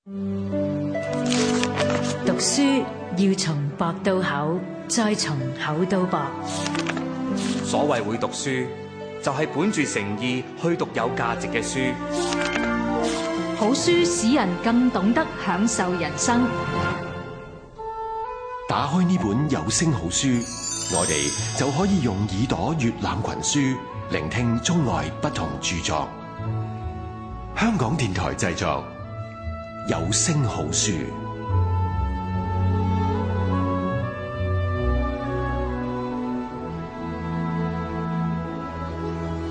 讀書要從薄到厚，再從厚到薄。所謂會讀書，就係本住誠意去讀有價值嘅書。好書使人更懂得享受人生。打開呢本有聲好書，我哋就可以用耳朵閱覽群書，聆聽中外不同著作。香港電台製作，有聲好書。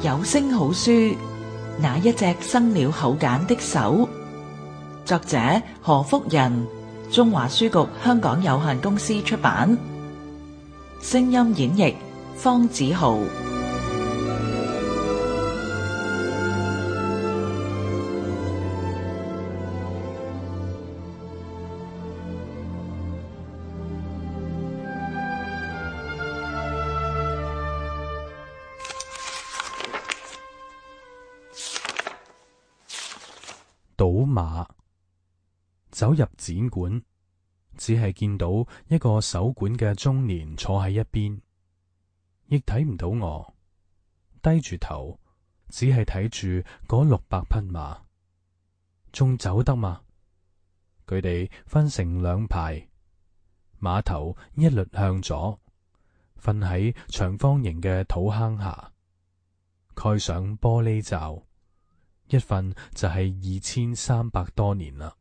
有聲好書，那一隻生了口繭的手。作者何福仁，中華書局香港有限公司出版。聲音演繹方子豪。賭馬。走入展館，只係見到一個守館嘅中年坐喺一邊，亦睇唔到我。低住頭，只係睇住嗰600匹馬，仲走得嘛？佢哋分成2排，馬頭一律向左，瞓喺長方形嘅土坑下，蓋上玻璃罩，一瞓就係2300多年啦。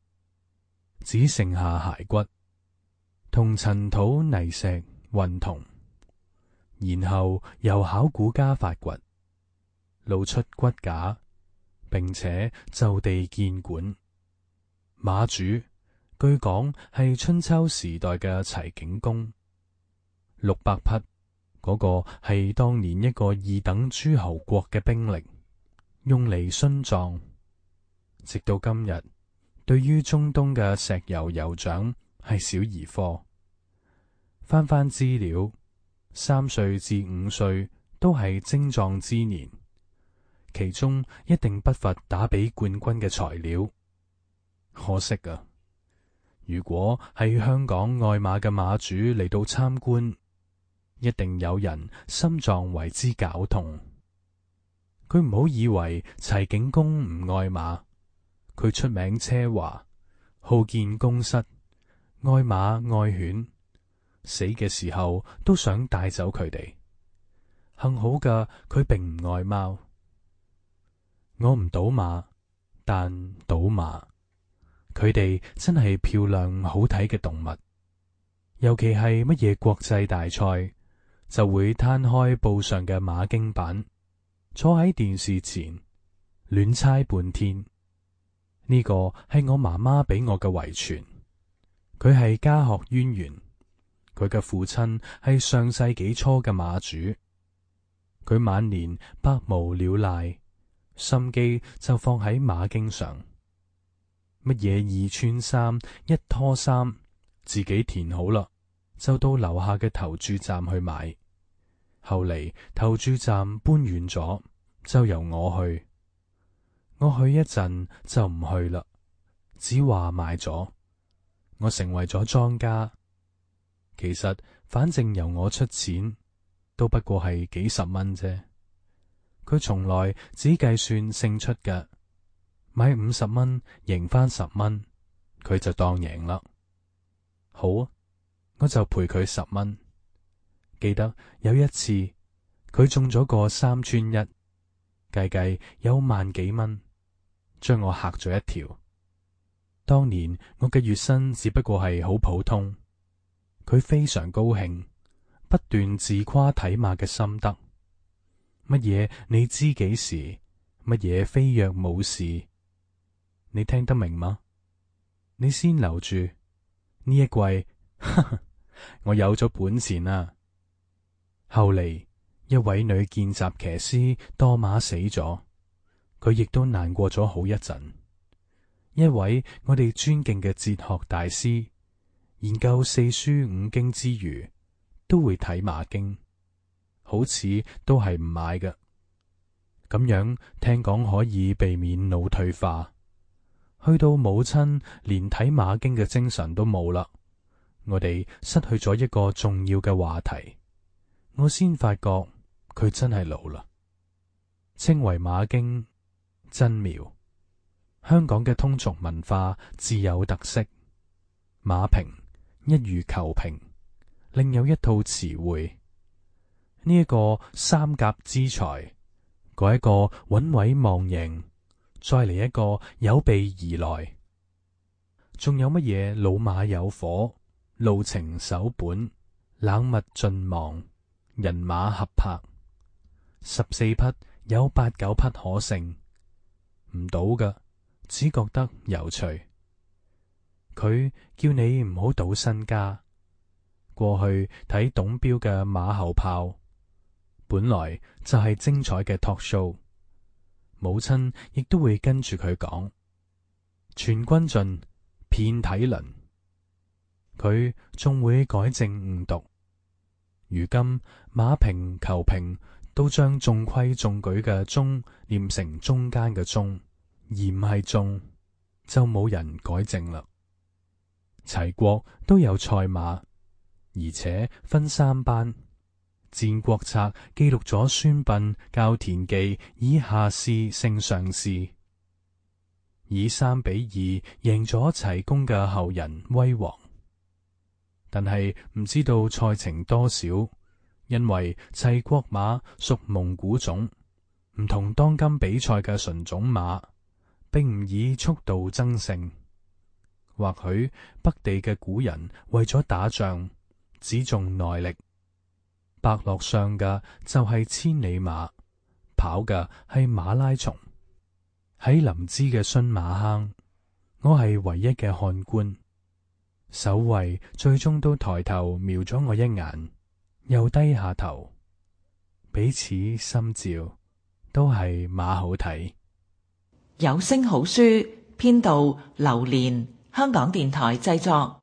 只剩下骸骨同塵土泥石混同，然後由考古家發掘，露出骨架，並且就地建館。馬主據講係春秋時代嘅齊景公，600匹嗰個係當年一個2等諸侯國嘅兵力，用嚟殉葬。直到今日，對於中東嘅石油酋長係小兒科。翻資料，3歲至5歲都係精壯之年，其中一定不乏打比冠軍嘅材料。可惜啊，如果係香港愛馬嘅馬主嚟到參觀，一定有人心臟為之絞痛。佢唔好以為齊景公唔愛馬，佢出名奢華，好見宮室，愛馬愛犬，死嘅時候都想帶走佢哋。幸好嘅，佢並唔愛貓。我唔賭馬，但賭馬，佢哋真係漂亮好睇嘅動物。尤其係乜嘢國際大賽，就會攤開布上嘅馬經版，坐喺電視前亂猜半天。呢個係我媽媽俾我嘅遺傳，佢係家學淵源。佢嘅父親係上世紀初嘅馬主，佢晚年百無聊賴，心機就放喺馬經上。乜嘢2穿3、1拖3，自己填好啦，就到樓下嘅投注站去買。後嚟投注站搬遠咗，就由我去。我去一陣就唔去啦，只話買咗。我成為咗莊家。其實反正由我出錢，都不過係幾十蚊啫。佢從來只計算勝出嘅，買50蚊贏返10蚊，佢就當贏啦。好，我就賠佢10蚊。記得有一次，佢中咗個3穿1，計有萬幾蚊，將我嚇咗一跳。當年我嘅月薪只不過係好普通，佢非常高興，不斷自誇睇馬嘅心得。乜嘢你知幾時？乜嘢非若無事？你聽得明嗎？你先留住呢一季，我有咗本錢啦。後嚟一位女見習騎師墮馬死咗，佢亦都難過咗好一陣。一位我哋尊敬嘅哲學大師，研究4書5經之餘，都會睇馬經，好似都係唔買嘅。咁樣聽講可以避免腦退化。去到母親連睇馬經嘅精神都冇啦，我哋失去咗一個重要嘅話題。我先發覺佢真係老啦。稱為馬經真妙。香港嘅通俗文化自有特色。馬評一如求評，另有一套詞彙。呢一個三甲之才，嗰一個穩位望贏，再嚟一個有備而來。仲有乜嘢老馬有火，路程守本，冷物盡忘，人馬合拍，14匹有8、9匹可勝，唔到㗎，只覺得有趣。佢叫你唔好賭身家。過去睇董彪嘅馬後炮，本來就係精彩嘅 talk show， 母親亦都會跟住佢講，全軍盡，遍體鱗。佢仲會改正誤讀。如今馬評求評都將中規中矩嘅中念成中間嘅中，而唔係中，就冇人改正啦。齊國都有賽馬，而且分3班。戰國策記錄咗孫臏教田忌以下士勝上士，以3比2贏咗齊公嘅後人威王。但係唔知道賽程多少，因為齊國馬屬蒙古種，唔同當今比賽嘅純種馬，並唔以速度爭勝。或許北地嘅古人為咗打仗，只重耐力。伯樂上嘅就係千里馬，跑嘅係馬拉松。喺臨淄嘅孫馬坑，我係唯一嘅看官。守衛最終都抬頭瞄咗我一眼，又低下頭，彼此心照，都係馬好睇。有聲好書編導劉蓮，香港電台製作。